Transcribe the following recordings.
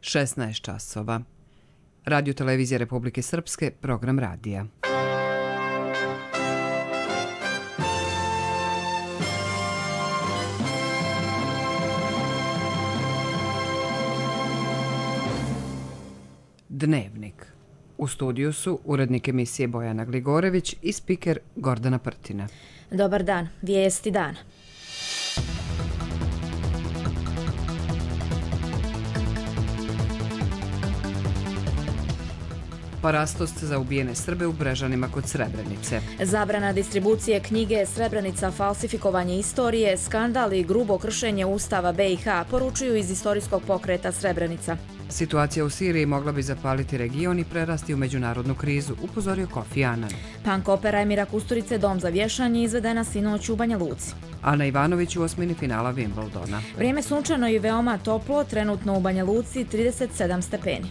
16 časova. Radio Televizija Republike Srpske, program radija. Dnevnik. U studiju su urednik emisije Bojana Gligorević i spiker Gordana Prtina. Dobar dan, vijesti dana. Parastost za ubijene Srbe u Brežanima kod Srebrenice. Zabrana distribucije knjige Srebrenica falsifikovanje istorije, skandal i grubo kršenje Ustava BiH, poručuju iz istorijskog pokreta Srebrenica. Situacija u Siriji mogla bi zapaliti region i prerasti u međunarodnu krizu, upozorio Kofi Annan. Punk opera Emira Kusturice Dom za vješanje izvedena sinoć u Banja Luci. Ana Ivanović u osmini finala Wimbledona. Vrijeme sunčano i veoma toplo, trenutno u Banja Luci 37 stepeni.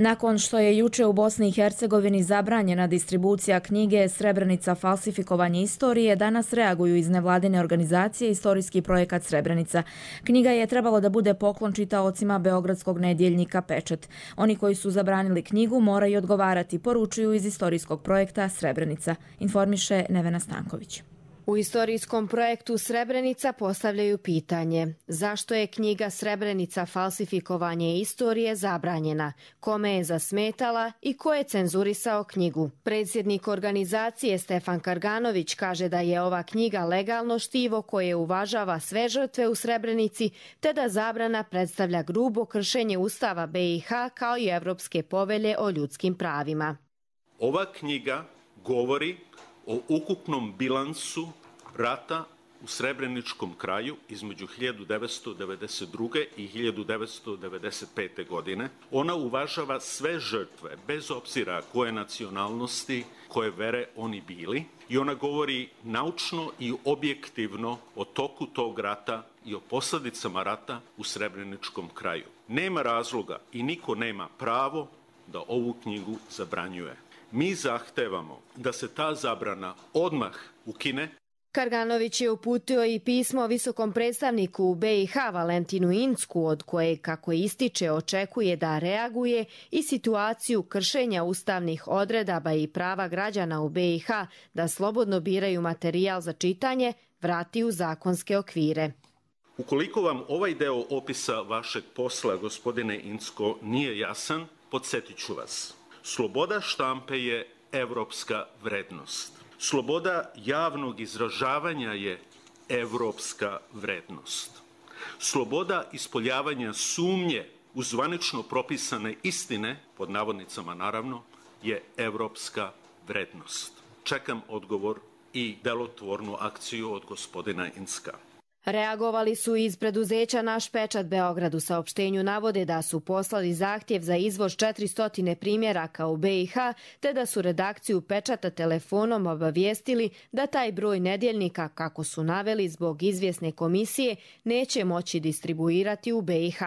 Nakon što je juče u Bosni i Hercegovini zabranjena distribucija knjige Srebrenica falsifikovanje istorije, danas reaguju iz nevladine organizacije Istorijski projekat Srebrenica. Knjiga je trebalo da bude poklon čitaocima beogradskog nedjeljnika Pečat. Oni koji su zabranili knjigu moraju odgovarati, poručuju iz Istorijskog projekta Srebrenica, informiše Nevena Stanković. U istorijskom projektu Srebrenica postavljaju pitanje zašto je knjiga Srebrenica falsifikovanje istorije zabranjena, kome je zasmetala i ko je cenzurisao knjigu. Predsjednik organizacije Stefan Karganović kaže da je ova knjiga legalno štivo koje uvažava sve žrtve u Srebrenici, te da zabrana predstavlja grubo kršenje Ustava BiH kao i Evropske povelje o ljudskim pravima. Ova knjiga govori o ukupnom bilansu rata u Srebreničkom kraju između 1992. i 1995. godine. Ona uvažava sve žrtve, bez obzira koje nacionalnosti, koje vere oni bili. I ona govori naučno i objektivno o toku tog rata i o posljedicama rata u Srebreničkom kraju. Nema razloga i niko nema pravo da ovu knjigu zabranjuje. Mi zahtevamo da se ta zabrana odmah ukine. Karganović je uputio i pismo visokom predstavniku u BiH Valentinu Incku, od koje, kako ističe, očekuje da reaguje i situaciju kršenja ustavnih odredaba i prava građana u BiH da slobodno biraju materijal za čitanje, vrati u zakonske okvire. Ukoliko vam ovaj deo opisa vašeg posla, gospodine Incko, nije jasan, podsjetit ću vas. Sloboda štampe je evropska vrednost. Sloboda javnog izražavanja je evropska vrednost. Sloboda ispoljavanja sumnje u zvanično propisane istine, pod navodnicama naravno, je evropska vrednost. Čekam odgovor i delotvornu akciju od gospodina Incka. Reagovali su iz preduzeća Naš Pečat Beograd. U saopštenju navode da su poslali zahtjev za izvoz 400 primjeraka u BiH, te da su redakciju Pečata telefonom obavijestili da taj broj nedjeljnika, kako su naveli zbog izvjesne komisije, neće moći distribuirati u BiH.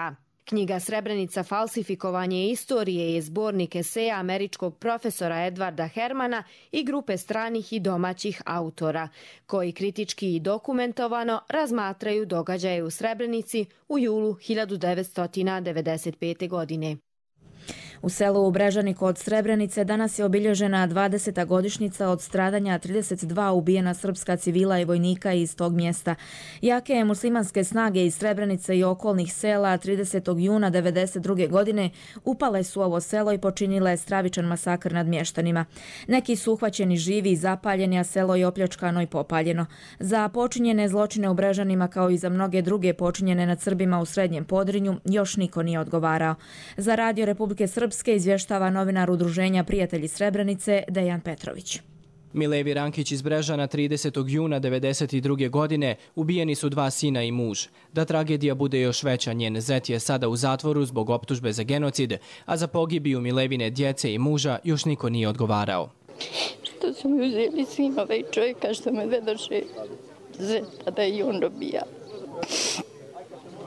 Knjiga Srebrenica falsifikovanje istorije je zbornik eseja američkog profesora Edwarda Hermana i grupe stranih i domaćih autora, koji kritički i dokumentovano razmatraju događaje u Srebrenici u julu 1995. godine. U selu u Brežani kod Srebrenice danas je obilježena 20. godišnjica od stradanja 32 ubijena srpska civila i vojnika iz tog mjesta. Jake muslimanske snage iz Srebrenice i okolnih sela 30. juna 1992. godine upale su ovo selo i počinile stravičan masakr nad mještanima. Neki su uhvaćeni živi i zapaljeni, a selo je opljačkano i popaljeno. Za počinjene zločine u Brežanima, kao i za mnoge druge počinjene nad Srbima u Srednjem Podrinju, još niko nije odgovarao. Za Radio Republike Srpske izvještava novinar Udruženja Prijatelji Srebrenice Dejan Petrović. Milevi Rankić iz Brežana 30. juna 1992. godine ubijeni su 2 sina i muž. Da tragedija bude još veća, njen zet je sada u zatvoru zbog optužbe za genocid, a za pogibiju Milevine djece i muža još niko nije odgovarao. Što su mi uzeli sinove i čovjeka što me vedoše zeta da i on dobija.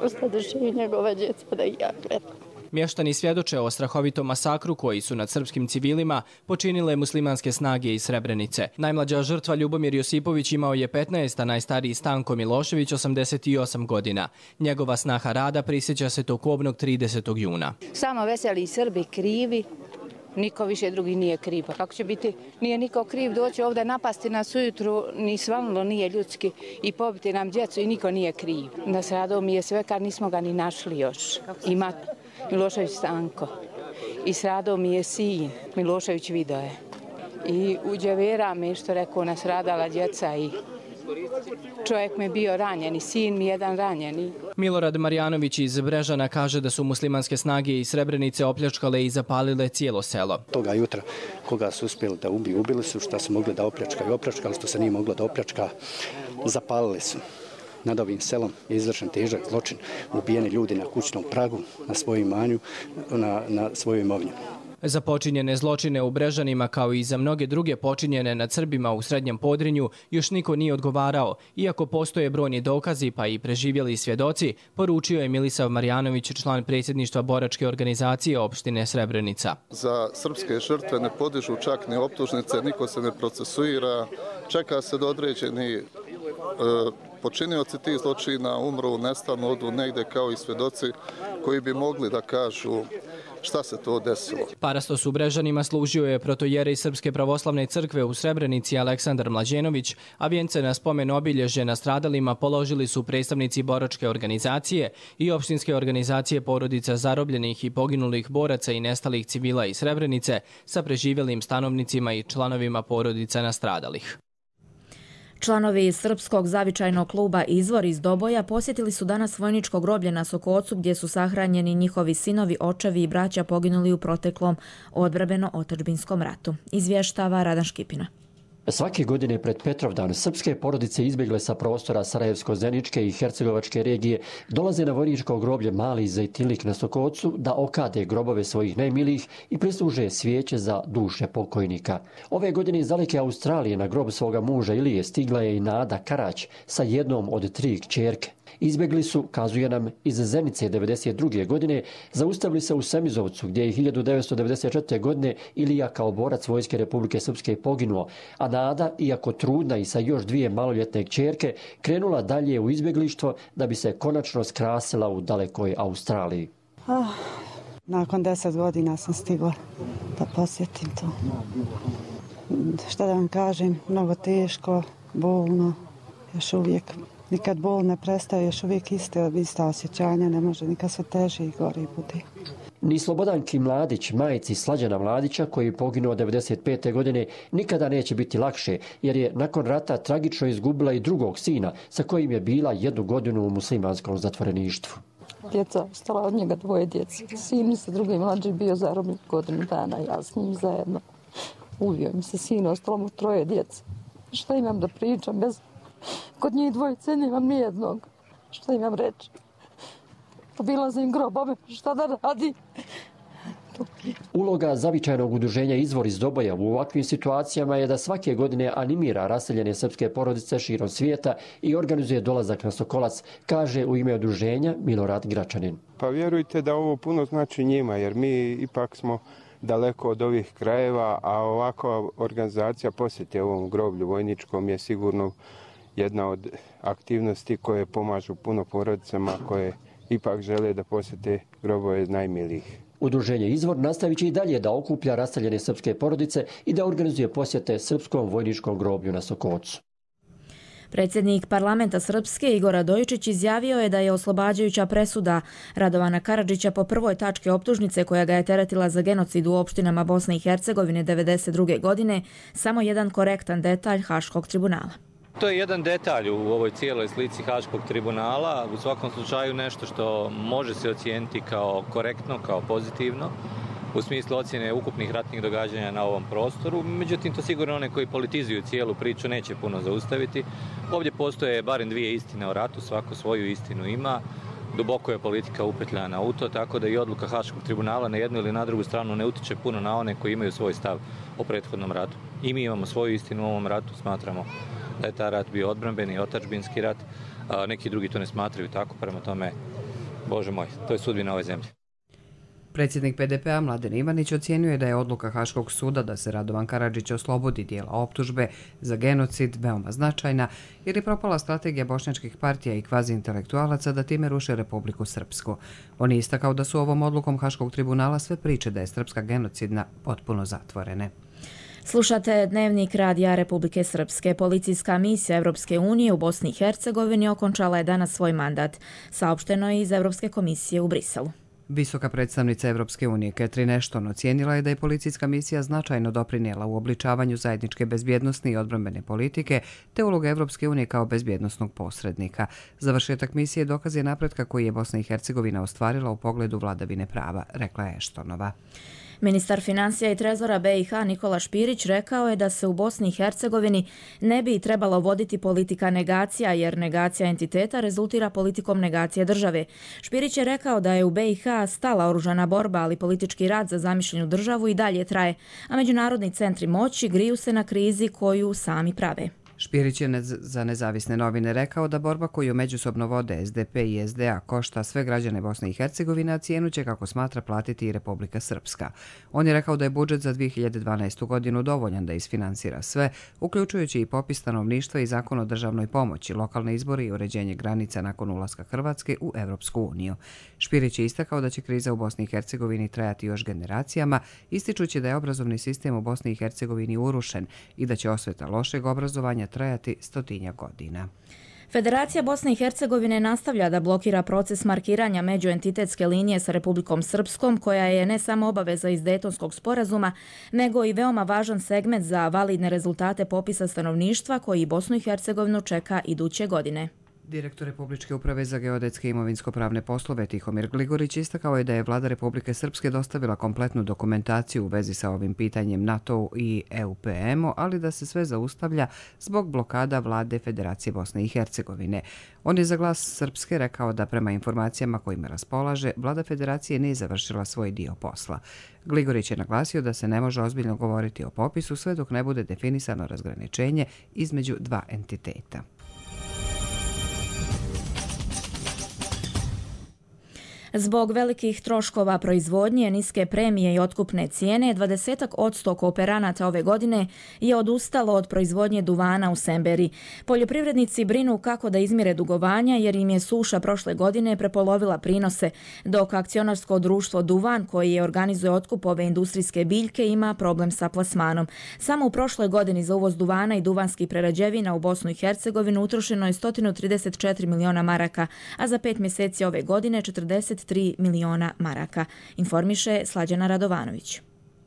Ostadoše i njegova djeca da i ja gledam. Mještani svjedoče o strahovitom masakru koji su nad srpskim civilima počinile muslimanske snage iz Srebrenice. Najmlađa žrtva Ljubomir Josipović imao je 15, a najstariji Stanko Milošević 88 godina. Njegova snaha Rada prisjeća se tog kobnog 30. juna. Samo veseli Srbi krivi, niko više drugi nije kriv. Pa kako će biti, nije niko kriv doći ovdje napasti nas ujutru, ni svanulo nije ljudski i pobiti nam djecu i niko nije kriv. Nasradao mi je sve kad nismo ga ni našli još. Ima Milošević Stanko. I sradao mi je sin, Milošević Vidoje. I uđevera me što rekao nasradala djeca i čovjek mi je bio ranjen i sin mi jedan ranjeni. Milorad Marjanović iz Brežana kaže da su muslimanske snage iz Srebrenice opljačkale i zapalile cijelo selo. Toga jutra koga su uspjeli da ubili su, šta su mogli da opljačkaju, opljačkali, što se nije moglo da opljačka, zapalili su. Nad ovim selom je izvršen težak zločin, ubijeni ljudi na kućnom pragu, na svojem imanju, na svojoj imovini. Za počinjene zločine u Brežanima, kao i za mnoge druge počinjene nad Srbima u Srednjem Podrinju, još niko nije odgovarao, iako postoje brojni dokazi pa i preživjeli svjedoci, poručio je Milisav Marjanović, član predsjedništva boračke organizacije opštine Srebrenica. Za srpske žrtve ne podižu čak ni optužnice, niko se ne procesuira, čeka se do određeni počinioci tih zločina umru, nestanu, odu negdje kao i svjedoci koji bi mogli da kažu šta se to desilo. Parastos u Brežanima služio je protojerej Srpske pravoslavne crkve u Srebrenici Aleksandar Mlađenović, a vijence na spomen obilježje nastradalima položili su predstavnici boračke organizacije i opštinske organizacije porodica zarobljenih i poginulih boraca i nestalih civila iz Srebrenice sa preživjelim stanovnicima i članovima porodica nastradalih. Članovi Srpskog zavičajnog kluba Izvor iz Doboja posjetili su danas vojničko groblje na Sokocu gdje su sahranjeni njihovi sinovi, očevi i braća poginuli u proteklom odbrambeno-otadžbinskom ratu. Izvještava Radan Škipina. Svake godine pred Petrovdan srpske porodice izbjegle sa prostora Sarajevsko-Zeničke i Hercegovačke regije dolaze na vojničko groblje Mali Zejtinlik na Sokocu da okade grobove svojih najmilijih i prisluže svijeće za duše pokojnika. Ove godine iz daleke Australije na grob svoga muža Ilije stigla je i Nada Karać sa jednom od 3 kćerke. Izbjegli su, kazuje nam, iz Zenice 1992. godine, zaustavili se u Semizovcu gdje je 1994. godine Ilija kao borac Vojske Republike Srpske poginuo, a Nada, iako trudna i sa još 2 maloljetne kćerke, krenula dalje u izbjeglištvo da bi se konačno skrasila u dalekoj Australiji. Nakon 10 godina sam stigla da posjetim to. Šta da vam kažem, mnogo teško, bolno, još uvijek. Nikad bol ne prestaje, još uvijek ista osjećanja, ne može nikad sve teže i gori bude. Ni Slobodanki Mladić, majici Slađana Mladića, koji je poginuo 1995. godine, nikada neće biti lakše, jer je nakon rata tragično izgubila i drugog sina, sa kojim je bila 1 godinu u muslimanskom zatvoreništvu. Djeca ostala od njega 2 djece. Sin mi se drugi mlađi bio zarobljen 1 godinu dana, ja s njim zajedno. Ubio mi se sin, ostalo mu 3 djece. Šta imam da pričam bez... Kod njih 2 nemam nijednog. Šta imam reći? Obilazim grobove, šta da radi? Uloga zavičajnog udruženja Izvor iz Doboja u ovakvim situacijama je da svake godine animira raseljene srpske porodice širom svijeta i organizuje dolazak na Sokolac, kaže u ime udruženja Milorad Gračanin. Pa vjerujte da ovo puno znači njima, jer mi ipak smo daleko od ovih krajeva, a ovakva organizacija posjete ovom groblju vojničkom je sigurno jedna od aktivnosti koje pomažu puno porodicama koje ipak žele da posjete grobove najmilijih. Udruženje Izvor nastavit će i dalje da okuplja raseljene srpske porodice i da organizuje posjete srpskom vojničkom groblju na Sokocu. Predsjednik parlamenta Srpske Igor Radojičić izjavio je da je oslobađajuća presuda Radovana Karadžića po prvoj tački optužnice koja ga je teretila za genocid u opštinama Bosne i Hercegovine 1992. godine samo jedan korektan detalj Haškog tribunala. To je jedan detalj u ovoj cijeloj slici Haškog tribunala, u svakom slučaju nešto što može se ocijeniti kao korektno, kao pozitivno, u smislu ocjene ukupnih ratnih događanja na ovom prostoru. Međutim, to sigurno one koji politizuju cijelu priču neće puno zaustaviti. Ovdje postoje barem 2 istine o ratu, svako svoju istinu ima. Duboko je politika upetljana u to, tako da i odluka Haškog tribunala na jednu ili na drugu stranu ne utiče puno na one koji imaju svoj stav o prethodnom ratu. I mi imamo svoju istinu u ovom ratu, smatramo da je ta rat bio odbrambeni i otadžbinski rat, a neki drugi to ne smatraju tako, prema tome, Bože moj, to je sudbina ove zemlje. Predsjednik PDP-a Mladen Ivanić ocjenjuje da je odluka Haškog suda da se Radovan Karadžić oslobodi dijela optužbe za genocid veoma značajna jer je propala strategija bošnjačkih partija i kvazi-intelektualaca da time ruše Republiku Srpsku. On je istakao da su ovom odlukom Haškog tribunala sve priče da je srpska genocidna potpuno zatvorene. Slušate Dnevnik Radija Republike Srpske. Policijska misija Europske unije u Bosni i Hercegovini okončala je danas svoj mandat. Saopšteno je iz Europske komisije u Briselu. Visoka predstavnica Europske unije Catherine Ashton ocijenila je da je policijska misija značajno doprinijela u obličavanju zajedničke bezbjednosne i odbrambene politike te uloga Europske unije kao bezbjednosnog posrednika. Završetak misije dokaz je napretka koji je Bosna i Hercegovina ostvarila u pogledu vladavine prava, rekla je Ashtonova. Ministar financija i trezora BiH Nikola Špirić rekao je da se u Bosni i Hercegovini ne bi trebalo voditi politika negacija, jer negacija entiteta rezultira politikom negacije države. Špirić je rekao da je u BiH stala oružana borba, ali politički rat za zamišljenu državu i dalje traje, a međunarodni centri moći griju se na krizi koju sami prave. Špirić je za nezavisne novine rekao da borba koju međusobno vode SDP i SDA košta sve građane Bosne i Hercegovine, a cijenu će, kako smatra, platiti i Republika Srpska. On je rekao da je budžet za 2012. godinu dovoljan da isfinansira sve, uključujući i popis stanovništva i zakon o državnoj pomoći, lokalne izbore i uređenje granica nakon ulaska Hrvatske u Evropsku uniju. Špirić je istakao da će kriza u Bosni i Hercegovini trajati još generacijama, ističući da je obrazovni sistem u Bosni i Hercegovini urušen i da će osveta lošeg obrazovanja trajati 100 godina. Federacija Bosne i Hercegovine nastavlja da blokira proces markiranja međuentitetske linije sa Republikom Srpskom, koja je ne samo obaveza iz Dejtonskog sporazuma, nego i veoma važan segment za validne rezultate popisa stanovništva koji Bosnu i Hercegovinu čeka iduće godine. Direktor Republičke uprave za geodetske i imovinsko-pravne poslove Tihomir Gligorić istakao je da je vlada Republike Srpske dostavila kompletnu dokumentaciju u vezi sa ovim pitanjem NATO i EUPM-u, ali da se sve zaustavlja zbog blokada vlade Federacije Bosne i Hercegovine. On je za Glas Srpske rekao da prema informacijama kojima raspolaže, vlada Federacije nije završila svoj dio posla. Gligorić je naglasio da se ne može ozbiljno govoriti o popisu sve dok ne bude definisano razgraničenje između dva entiteta. Zbog velikih troškova proizvodnje, niske premije i otkupne cijene, 20% kooperanata ove godine je odustalo od proizvodnje duvana u Semberi. Poljoprivrednici brinu kako da izmire dugovanja jer im je suša prošle godine prepolovila prinose, dok akcionarsko društvo Duvan, koji organizuje otkup ove industrijske biljke, ima problem sa plasmanom. Samo u prošloj godini za uvoz duvana i duvanskih prerađevina u Bosnu i Hercegovinu utrošeno je 134 miliona maraka, a za 5 mjeseci ove godine 43 miliona maraka, informiše Slađana Radovanović.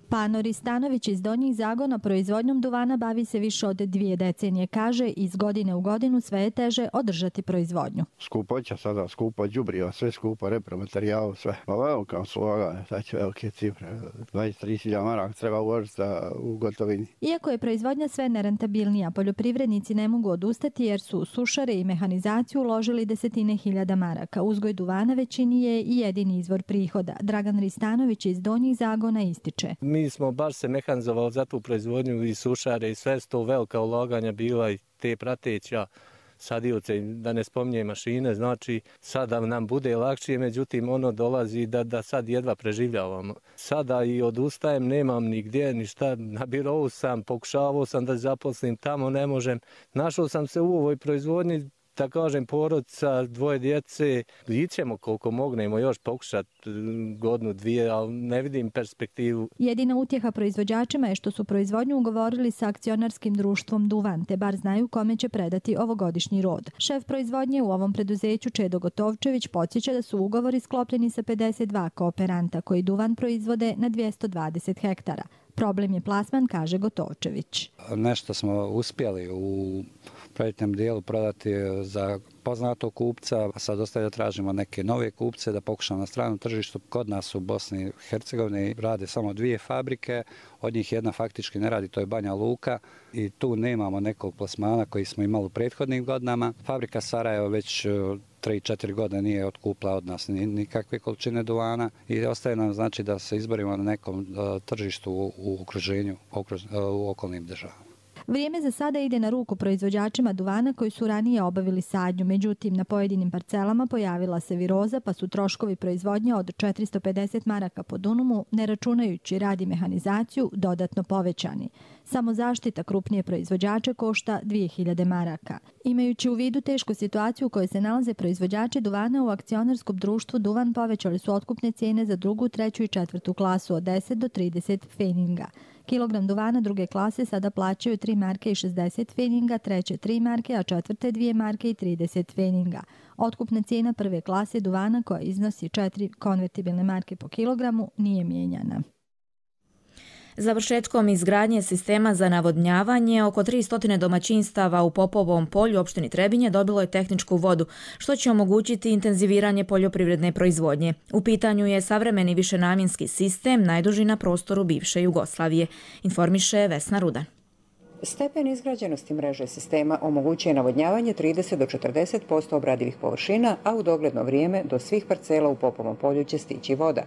Pano Ristanović iz Donjih Zagona proizvodnjom duvana bavi se više od 2 decenije. Kaže, iz godine u godinu sve je teže održati proizvodnju. Skupoća sada, skupo đubriva, sve skupo, repromaterijal, sve. Pa evo kao sloga, sad će velike cifre. 23.000 maraka treba uložiti u gotovini. Iako je proizvodnja sve nerentabilnija, poljoprivrednici ne mogu odustati jer su u sušare i mehanizaciju uložili 10.000 maraka. Uzgoj duvana većini je i jedini izvor prihoda. Dragan Ristanović iz Donjih Zagona ističe. Mi smo baš se mehanizovali za tu proizvodnju i sušare i sve sto velika ulaganja bila i te prateća sadioce, da ne spominjem mašine, znači sada nam bude lakše, međutim ono dolazi da sad jedva preživljavamo. Sada i odustajem, nemam nigdje, ništa, na birovu sam, pokušavao sam da zaposlim, tamo ne možem. Našao sam se u ovoj proizvodnji, da kažem, porodica, 2 djece, ićemo koliko mognemo još pokušati godinu, 2, ali ne vidim perspektivu. Jedina utjeha proizvođačima je što su proizvodnju ugovorili sa akcionarskim društvom Duvan, te bar znaju kome će predati ovogodišnji rod. Šef proizvodnje u ovom preduzeću Čedo Gotovčević podsjeća da su ugovori sklopljeni sa 52 kooperanta koji duvan proizvode na 220 hektara. Problem je plasman, kaže Gotovčević. Nešto smo uspjeli u projektnom dijelu prodati za poznatog kupca, a sad ostaje da tražimo neke nove kupce da pokušamo na stranom tržištu. Kod nas u Bosni i Hercegovini rade samo 2 fabrike, od njih jedna faktički ne radi, to je Banja Luka i tu nemamo nekog plasmana koji smo imali u prethodnim godinama. Fabrika Sarajevo već 3-4 godine nije otkupila od nas nikakve količine duvana i ostaje nam znači da se izborimo na nekom tržištu u okruženju, u okolnim državama. Vrijeme za sada ide na ruku proizvođačima duvana koji su ranije obavili sadnju, međutim na pojedinim parcelama pojavila se viroza pa su troškovi proizvodnje od 450 maraka po dunumu, ne računajući rad i mehanizaciju, dodatno povećani. Samo zaštita krupnije proizvođače košta 2000 maraka. Imajući u vidu tešku situaciju u kojoj se nalaze proizvođači duvana u akcionarskom društvu Duvan povećali su otkupne cijene za drugu, treću i četvrtu klasu od 10 do 30 feninga. Kilogram duvana druge klase sada plaćaju 3 marke i 60 feninga, treće 3 marke, a četvrte 2 marke i 30 feninga. Otkupna cijena prve klase duvana koja iznosi 4 konvertibilne marke po kilogramu nije mijenjana. Završetkom izgradnje sistema za navodnjavanje, oko 300 domaćinstava u Popovom polju opštini Trebinje dobilo je tehničku vodu, što će omogućiti intenziviranje poljoprivredne proizvodnje. U pitanju je savremeni višenamjenski sistem, najduži na prostoru bivše Jugoslavije, informiše Vesna Rudan. Stepen izgrađenosti mreže sistema omogućuje navodnjavanje 30 do 40% obradivih površina, a u dogledno vrijeme do svih parcela u Popovom polju će stići voda.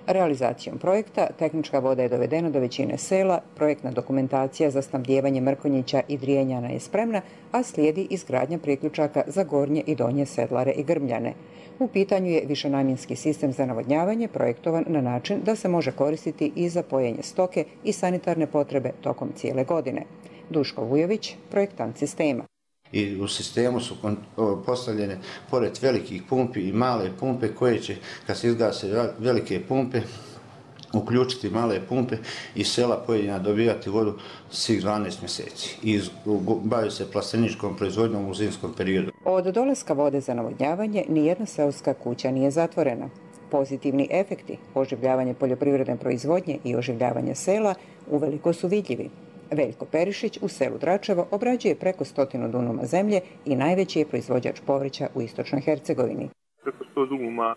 Realizacijom projekta tehnička voda je dovedena do većine sela, projektna dokumentacija za snabdijevanje Mrkonjića i Drijenjana je spremna, a slijedi izgradnja priključaka za Gornje i Donje Sedlare i Grmljane. U pitanju je višenamjenski sistem za navodnjavanje projektovan na način da se može koristiti i za pojenje stoke i sanitarne potrebe tokom cijele godine. Duško Vujović, projektant sistema. I u sistemu su postavljene pored velikih pumpi i male pumpe koje će, kad se izgase velike pumpe, uključiti male pumpe i sela pojedina dobivati vodu svih 12 mjeseci i baviti se plasteničkom proizvodnjom u zimskom periodu. Od dolaska vode za navodnjavanje nijedna seoska kuća nije zatvorena. Pozitivni efekti oživljavanja poljoprivredne proizvodnje i oživljavanja sela uveliko su vidljivi. Veljko Perišić u selu Dračevo obrađuje preko 100 dunuma zemlje i najveći je proizvođač povrća u istočnoj Hercegovini. Preko 100 dunuma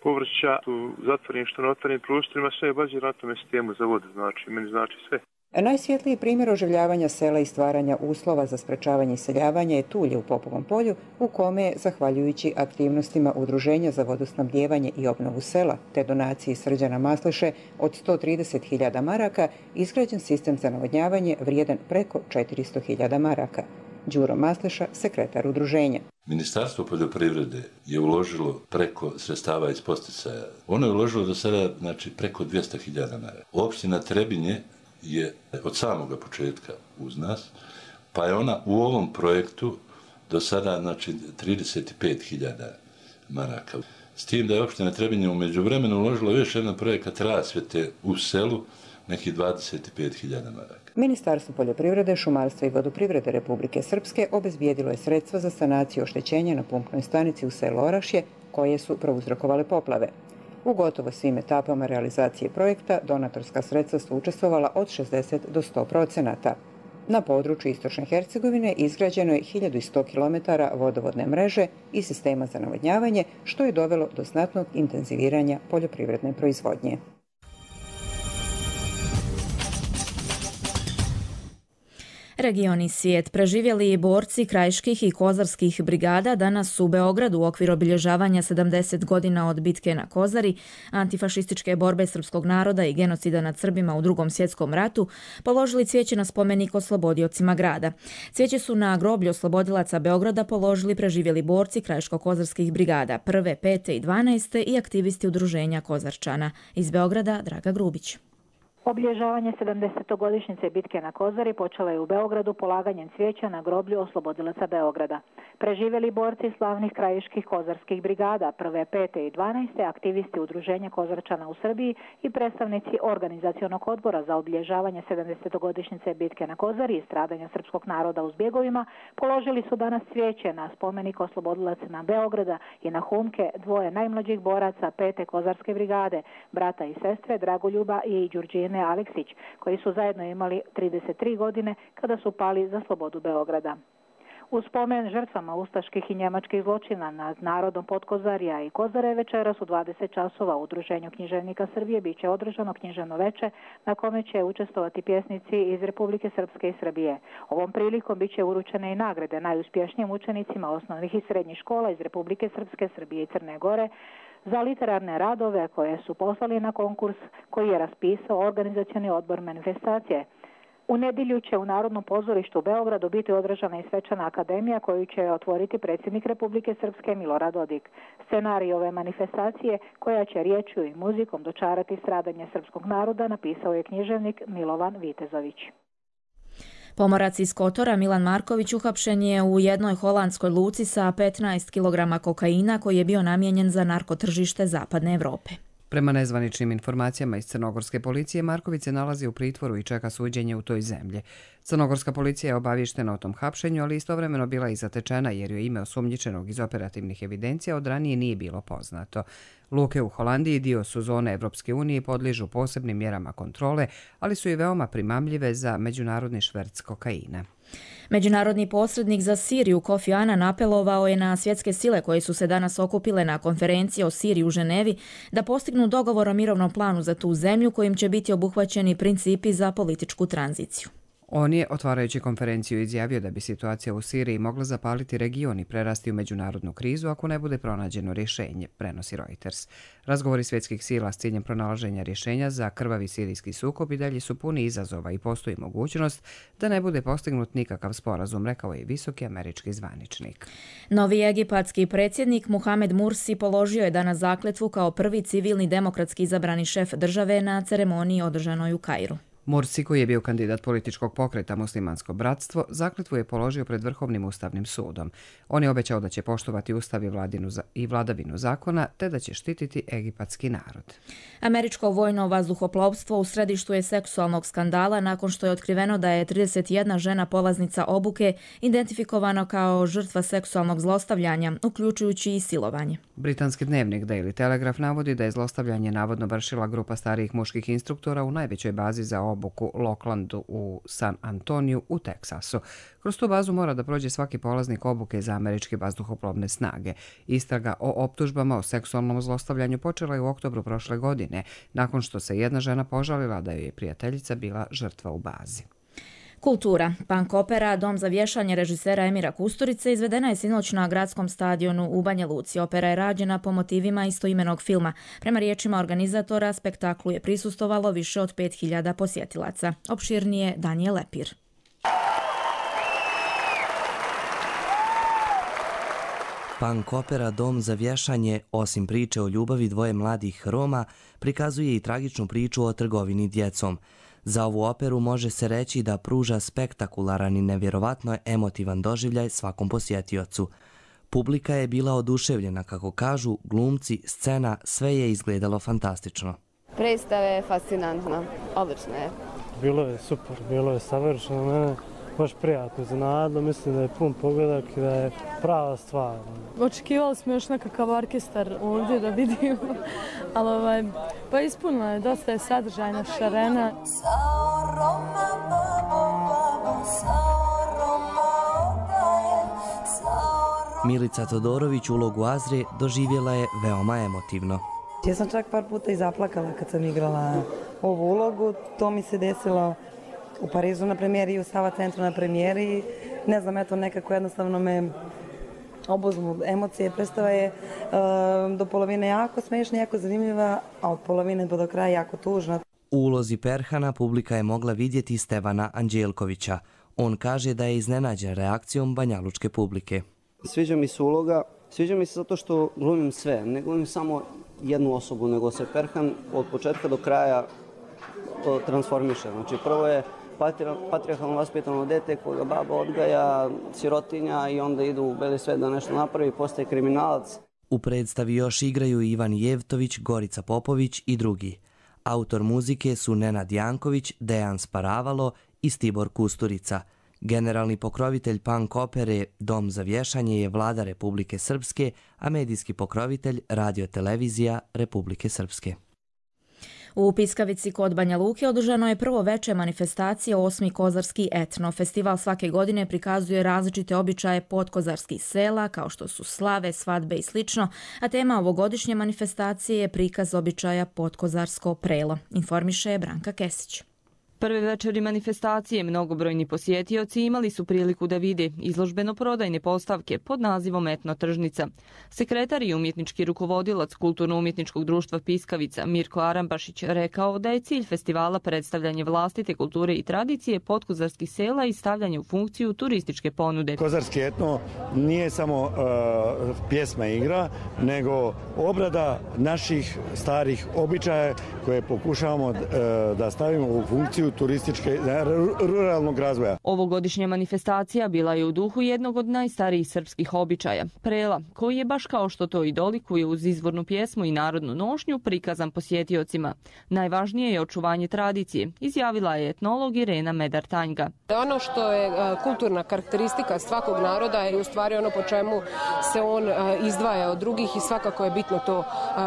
povrća u zatvorenim što na otvorenim prostorima, sve je baš na tome sistemu za vodu, meni znači sve. Najsvjetliji primjer oživljavanja sela i stvaranja uslova za sprečavanje iseljavanja je Tulje u Popovom polju, u kome je, zahvaljujući aktivnostima Udruženja za vodosnabdijevanje i obnovu sela te donaciji Srđana Masliše od 130.000 maraka, izgrađen sistem za navodnjavanje vrijedan preko 400.000 maraka. Đuro Masliša, sekretar udruženja. Ministarstvo poljoprivrede je uložilo preko sredstava iz posticaja. Ono je uložilo do sada preko 200.000 maraka. Opština Trebinje je od samoga početka uz nas, pa je ona u ovom projektu do sada 35.000 maraka. S tim da je opština Trebinje u međuvremenu uložila još jedan projekat rasvjete u selu, nekih 25.000 maraka. Ministarstvo poljoprivrede, šumarstva i vodoprivrede Republike Srpske obezbijedilo je sredstva za sanaciju oštećenja na pumpnoj stanici u selu Orašje, koje su prouzrokovale poplave. U gotovo svim etapama realizacije projekta donatorska sredstva su učestvovala od 60 do 100%. Na području istočne Hercegovine izgrađeno je 1100 km vodovodne mreže i sistema za navodnjavanje, što je dovelo do znatnog intenziviranja poljoprivredne proizvodnje. Region i svijet. Preživjeli borci krajiških i kozarskih brigada danas u Beogradu u okviru obilježavanja 70 godina od bitke na Kozari, antifašističke borbe srpskog naroda i genocida nad Srbima u Drugom svjetskom ratu, položili cvijeće na spomenik oslobodiocima grada. Cvijeće su na groblju oslobodilaca Beograda položili preživjeli borci krajiško-kozarskih brigada 1., 5. i 12. i aktivisti udruženja Kozarčana. Iz Beograda Draga Grubić. Obilježavanje 70-godišnjice bitke na Kozari počela je u Beogradu polaganjem cvijeća na groblju oslobodilaca Beograda. Preživjeli borci slavnih krajiških kozarskih brigada 1., 5. i 12. aktivisti udruženja Kozarčana u Srbiji i predstavnici organizacionog odbora za obilježavanje 70-godišnjice bitke na Kozari i stradanja srpskog naroda u zbjegovima položili su danas cvijeće na spomenik oslobodilacima Beograda i na humke dvoje najmlađih boraca 5. kozarske brigade, brata i sestre Dragoljuba i Đurđine Aleksić, koji su zajedno imali 33 godine kada su pali za slobodu Beograda. U spomen žrtvama ustaških i njemačkih zločina nad narodom Podkozarja i Kozare večeras u 20 časova u Udruženju književnika Srbije biće održano književno veče na kome će učestvovati pjesnici iz Republike Srpske i Srbije. Ovom prilikom biće uručene i nagrade najuspješnijim učenicima osnovnih i srednjih škola iz Republike Srpske, Srbije i Crne Gore za literarne radove koje su poslali na konkurs koji je raspisao organizacioni odbor manifestacije. U nedjelju će u Narodnom pozorištu u Beogradu biti održana i svečana akademija koju će otvoriti predsjednik Republike Srpske Milorad Dodik. Scenarij ove manifestacije, koja će riječju i muzikom dočarati stradanje srpskog naroda, napisao je književnik Milovan Vitezović. Pomorac iz Kotora Milan Marković uhapšen je u jednoj holandskoj luci sa 15 kg kokaina koji je bio namijenjen za narkotržište Zapadne Evrope. Prema nezvaničnim informacijama iz crnogorske policije, Marković se nalazi u pritvoru i čeka suđenje u toj zemlji. Crnogorska policija je obavještena o tom hapšenju, ali istovremeno bila i zatečena jer joj ime osumnjičenog iz operativnih evidencija od ranije nije bilo poznato. Luke u Holandiji dio su zone Evropske unije i podližu posebnim mjerama kontrole, ali su i veoma primamljive za međunarodni šverc kokaina. Međunarodni posrednik za Siriju Kofi Annan apelovao je na svjetske sile koje su se danas okupile na konferenciji o Siriji u Ženevi da postignu dogovor o mirovnom planu za tu zemlju kojim će biti obuhvaćeni principi za političku tranziciju. On je, otvarajući konferenciju, izjavio da bi situacija u Siriji mogla zapaliti region i prerasti u međunarodnu krizu ako ne bude pronađeno rješenje, prenosi Reuters. Razgovori svjetskih sila s ciljem pronalaženja rješenja za krvavi sirijski sukob i dalje su puni izazova i postoji mogućnost da ne bude postignut nikakav sporazum, rekao je visoki američki zvaničnik. Novi egipatski predsjednik Muhamed Mursi položio je danas zakletvu kao prvi civilni demokratski izabrani šef države na ceremoniji održanoj u Kairu. Mursi, koji je bio kandidat političkog pokreta Muslimansko bratstvo, zakletvu je položio pred Vrhovnim ustavnim sudom. On je obećao da će poštovati ustav i vladavinu zakona, te da će štititi egipatski narod. Američko vojno vazduhoplovstvo u središtu je seksualnog skandala nakon što je otkriveno da je 31 žena polaznica obuke identifikovano kao žrtva seksualnog zlostavljanja, uključujući i silovanje. Britanski dnevnik Daily Telegraph navodi da je zlostavljanje navodno vršila grupa starijih muških instruktora u najvećoj bazi za obuku Locklandu u San Antoniju u Teksasu. Kroz tu bazu mora da prođe svaki polaznik obuke za američke vazduhoplovne snage. Istraga o optužbama o seksualnom zlostavljanju počela je u oktobru prošle godine, nakon što se jedna žena požalila da joj je prijateljica bila žrtva u bazi. Kultura. Punk opera Dom za vješanje režisera Emira Kusturice izvedena je sinoć na gradskom stadionu u Banja Luci. Opera je rađena po motivima istoimenog filma. Prema riječima organizatora, spektaklu je prisustvovalo više od 5000 posjetilaca. Opširnije Danijel Lepir. Punk opera Dom za vješanje, osim priče o ljubavi dvoje mladih Roma, prikazuje i tragičnu priču o trgovini djecom. Za ovu operu može se reći da pruža spektakularan i nevjerovatno emotivan doživljaj svakom posjetiocu. Publika je bila oduševljena, kako kažu glumci, scena, sve je izgledalo fantastično. Predstava je fascinantna, odlična je. Bilo je super, bilo je savršeno, mene baš prijatno iznenadilo, mislim da je pun pogledak i da je prava stvar. Očekivali smo još nekakav orkestar ovdje da vidimo, ali pa ispunila je, dosta je sadržajna, šarena. Milica Todorović ulogu Azre doživjela je veoma emotivno. Ja sam čak par puta i zaplakala kad sam igrala ovu ulogu. To mi se desilo u Parizu na premijeri i u Sava centru na premijeri. Ne znam, eto nekako jednostavno me obuzmu emocije. Predstava je do polovine jako smiješna, jako zanimljiva, a od polovine do kraja jako tužna. U ulozi Perhana publika je mogla vidjeti Stevana Anđelkovića. On kaže da je iznenađen reakcijom banjalučke publike. Sviđa mi se uloga, sviđa mi se zato što glumim sve, ne glumim samo jednu osobu, nego se Perhan od početka do kraja transformiše. Znači prvo je patrijarhalno vaspitano dete koga baba odgaja, sirotinja i onda idu u beli svet da nešto napravi, postaje kriminalac. U predstavi još igraju Ivan Jevtović, Gorica Popović i drugi. Autor muzike su Nenad Janković, Dejan Sparavalo i Stibor Kusturica. Generalni pokrovitelj punk opere Dom za vješanje je Vlada Republike Srpske, a medijski pokrovitelj Radio-televizija Republike Srpske. U Piskavici kod Banja Luke održano je prvo veče manifestacije 8. kozarski etno. Festival svake godine prikazuje različite običaje podkozarskih sela, kao što su slave, svadbe i slično, a tema ovogodišnje manifestacije je prikaz običaja podkozarsko prelo, informiše Branka Kesić. Prve večeri manifestacije mnogobrojni posjetioci imali su priliku da vide izložbeno-prodajne postavke pod nazivom Etno tržnica. Sekretar i umjetnički rukovodilac Kulturno-umjetničkog društva Piskavica Mirko Arambašić rekao da je cilj festivala predstavljanje vlastite kulture i tradicije podkozarskih sela i stavljanje u funkciju turističke ponude. Kozarski etno nije samo pjesma i igra, nego obrada naših starih običaja koje pokušavamo da stavimo u funkciju turističke, ruralnog razvoja. Ovogodišnja manifestacija bila je u duhu jednog od najstarijih srpskih običaja, prela, koji je baš kao što to i dolikuje uz izvornu pjesmu i narodnu nošnju prikazan posjetiocima. Najvažnije je očuvanje tradicije, izjavila je etnolog Irena Medar-Tanjga. Ono što je kulturna karakteristika svakog naroda je u stvari ono po čemu se on izdvaja od drugih i svakako je bitno to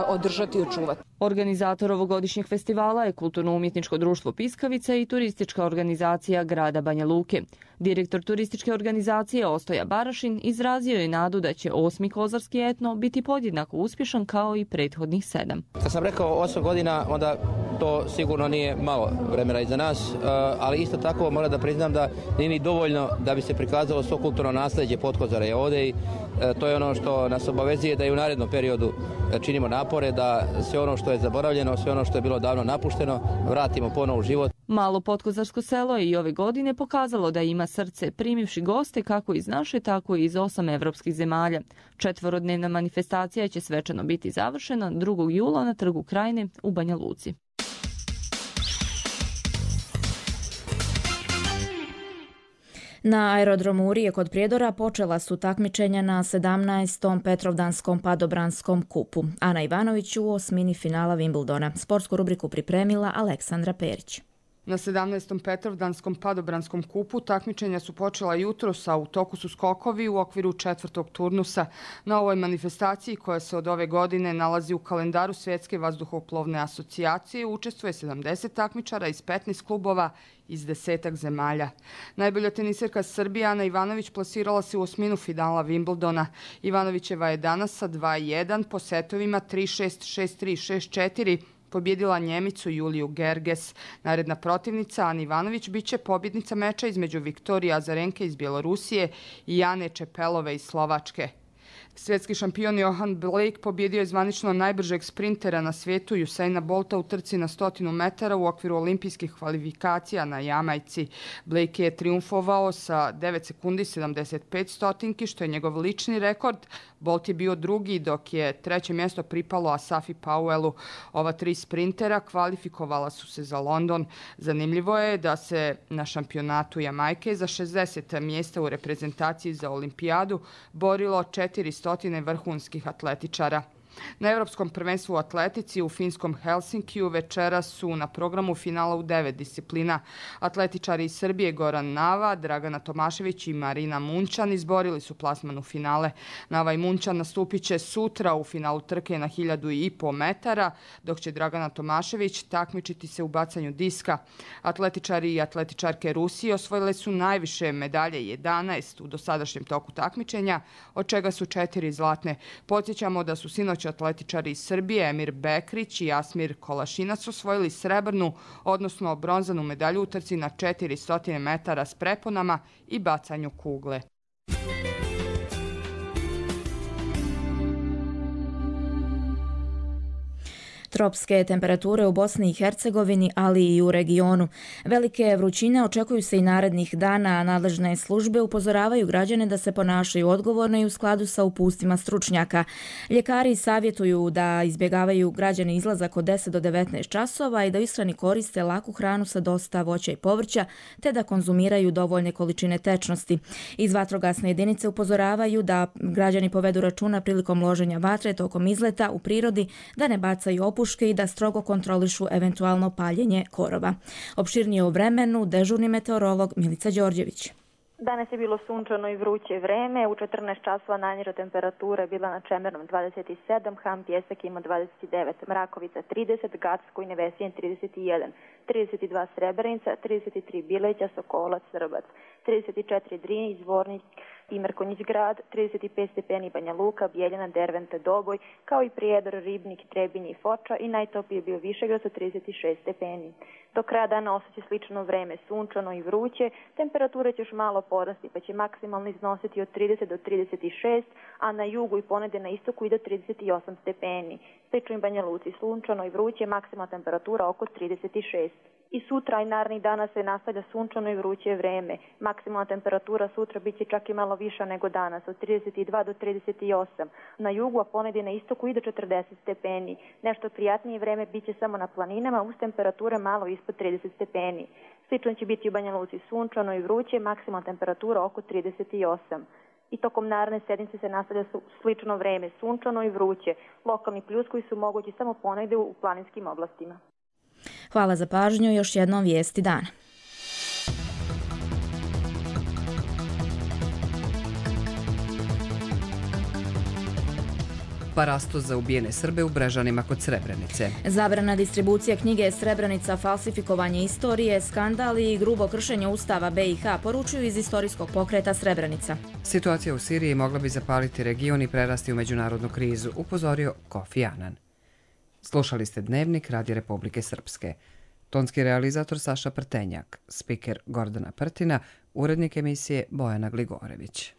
održati i očuvati. Organizator ovogodišnjeg festivala je Kulturno-umjetničko društvo Piskavica i turistička organizacija grada Banja Luke. Direktor turističke organizacije Ostoja Barašin izrazio je nadu da će 8. kozarski etno biti podjednako uspješan kao i prethodnih 7. Kad sam rekao 8 godina, onda to sigurno nije malo vremena iza nas, ali isto tako moram da priznam da nije ni dovoljno da bi se prikazalo svo kulturno nasljeđe Potkozara je ovdje i to je ono što nas obavezuje da i u narednom periodu činimo napore da sve ono što je zaboravljeno, sve ono što je bilo davno napušteno, vratimo ponovo u život. Malo Potkozarsko selo je i ove godine pokazalo da ima srce, primivši goste kako iz naše, tako i iz 8 evropskih zemalja. 4-dnevna manifestacija će svečano biti završena 2. jula na Trgu Krajine u Banja Luci. Na aerodromu Urije kod Prijedora počela su takmičenja na 17. Petrovdanskom padobranskom kupu. Ana Ivanović u osmini finala Wimbledona. Sportsku rubriku pripremila Aleksandra Perić. Na 17. Petrovdanskom padobranskom kupu takmičenja su počela jutros, a u toku su skokovi u okviru 4. turnusa. Na ovoj manifestaciji, koja se od ove godine nalazi u kalendaru Svjetske vazduhoplovne asocijacije, učestvuje 70 takmičara iz 15 klubova iz 10 zemalja. Najbolja teniserka Srbije Ana Ivanović plasirala se u osminu finala Wimbledona. Ivanovićeva je danas sa 2-1 po setovima 3-6, 6-3, 6-4 pobjedila Njemicu Juliju Gerges. Naredna protivnica Ana Ivanović biće pobjednica meča između Viktorije Azarenke iz Bjelorusije i Jane Čepelove iz Slovačke. Svjetski šampion Johan Blake pobjedio je zvanično najbržeg sprintera na svijetu Usaina Bolta u trci na 100 metara u okviru olimpijskih kvalifikacija na Jamajci. Blake je triumfovao sa 9 sekundi 75 stotinki, što je njegov lični rekord. Bolt je bio drugi, dok je treće mjesto pripalo Asafi Powellu. Ova 3 sprintera kvalifikovala su se za London. Zanimljivo je da se na šampionatu Jamajke za 60 mjesta u reprezentaciji za olimpijadu borilo 400 vrhunskih atletičara. Na Europskom prvenstvu u atletici u finskom Helsinkiju večeras su na programu finala u 9 disciplina. Atletičari iz Srbije Goran Nava, Dragana Tomašević i Marina Munčan izborili su plasman u finale. Nava i Munčan nastupit će sutra u finalu trke na 1500 metara, dok će Dragana Tomašević takmičiti se u bacanju diska. Atletičari i atletičarke Rusije osvojile su najviše medalje, 11 u dosadašnjem toku takmičenja, od čega su 4 zlatne. Podsjećamo da su sinoć atletičari iz Srbije Emir Bekrić i Asmir Kolašinac osvojili srebrnu, odnosno bronzanu medalju u trci na 400 metara s preponama i bacanju kugle. Tropske temperature u Bosni i Hercegovini, ali i u regionu. Velike vrućine očekuju se i narednih dana, a nadležne službe upozoravaju građane da se ponašaju odgovorno i u skladu sa upustvima stručnjaka. Ljekari savjetuju da izbjegavaju građani izlazak od 10 do 19 časova i da u ishrani koriste laku hranu sa dosta voća i povrća, te da konzumiraju dovoljne količine tečnosti. Iz vatrogasne jedinice upozoravaju da građani povedu računa prilikom loženja vatre tokom izleta u prirodi, da ne bacaju opuške i da strogo kontrolišu eventualno paljenje korova. Opširnije o vremenu dežurni meteorolog Milica Đorđević. Danas je bilo sunčano i vruće vreme. U 14 časova najniža temperatura je bila na Čemernom 27, Ham Pjesak ima 29, Mrakovica 30, Gacko i Nevesijen 31, 32 Srebrenica, 33 Bileća, Sokolac, Srbac, 34 Drin, Zvornik, Mrkonjić grad, 35 stepeni Banja Luka, Bijeljina, Derventa, Doboj, kao i Prijedor, Ribnik, Trebinje i Foča i najtopliji je bio Višegrad sa 36 stepeni. Do kraja dana osjeća slično vreme, sunčano i vruće, temperature će još malo porasti pa će maksimalno iznositi od 30 do 36, a na jugu i ponegdje na istoku i do 38 stepeni. Slično i Banja Luci, sunčano i vruće, maksimalna temperatura oko 36. I sutra i narednih dana se nastavlja sunčano i vruće vreme. Maksimalna temperatura sutra bit će čak i malo viša nego danas, od 32 do 38. Na jugu, a ponegdje na istoku i do 40 stepeni. Nešto prijatnije vreme bit će samo na planinama, uz temperature malo ispod 30 stepeni. Slično će biti u Banja Luci, sunčano i vruće, maksimalna temperatura oko 38. I tokom naredne sedmice se nastavlja slično vreme, sunčano i vruće. Lokalni pljuskovi su mogući samo ponegdje u planinskim oblastima. Hvala za pažnju, još jednom vijesti dana. Parastos za ubijene Srbe u Brežanima kod Srebrenice. Zabrana distribucije knjige Srebrenica, falsifikovanje istorije, skandali i grubo kršenje Ustava BiH, poručuju iz istorijskog pokreta Srebrenica. Situacija u Siriji mogla bi zapaliti region i prerasti u međunarodnu krizu, upozorio Kofi Annan. Slušali ste Dnevnik Radija Republike Srpske. Tonski realizator Saša Prtenjak, spiker Gordana Prtina, urednik emisije Bojana Gligorević.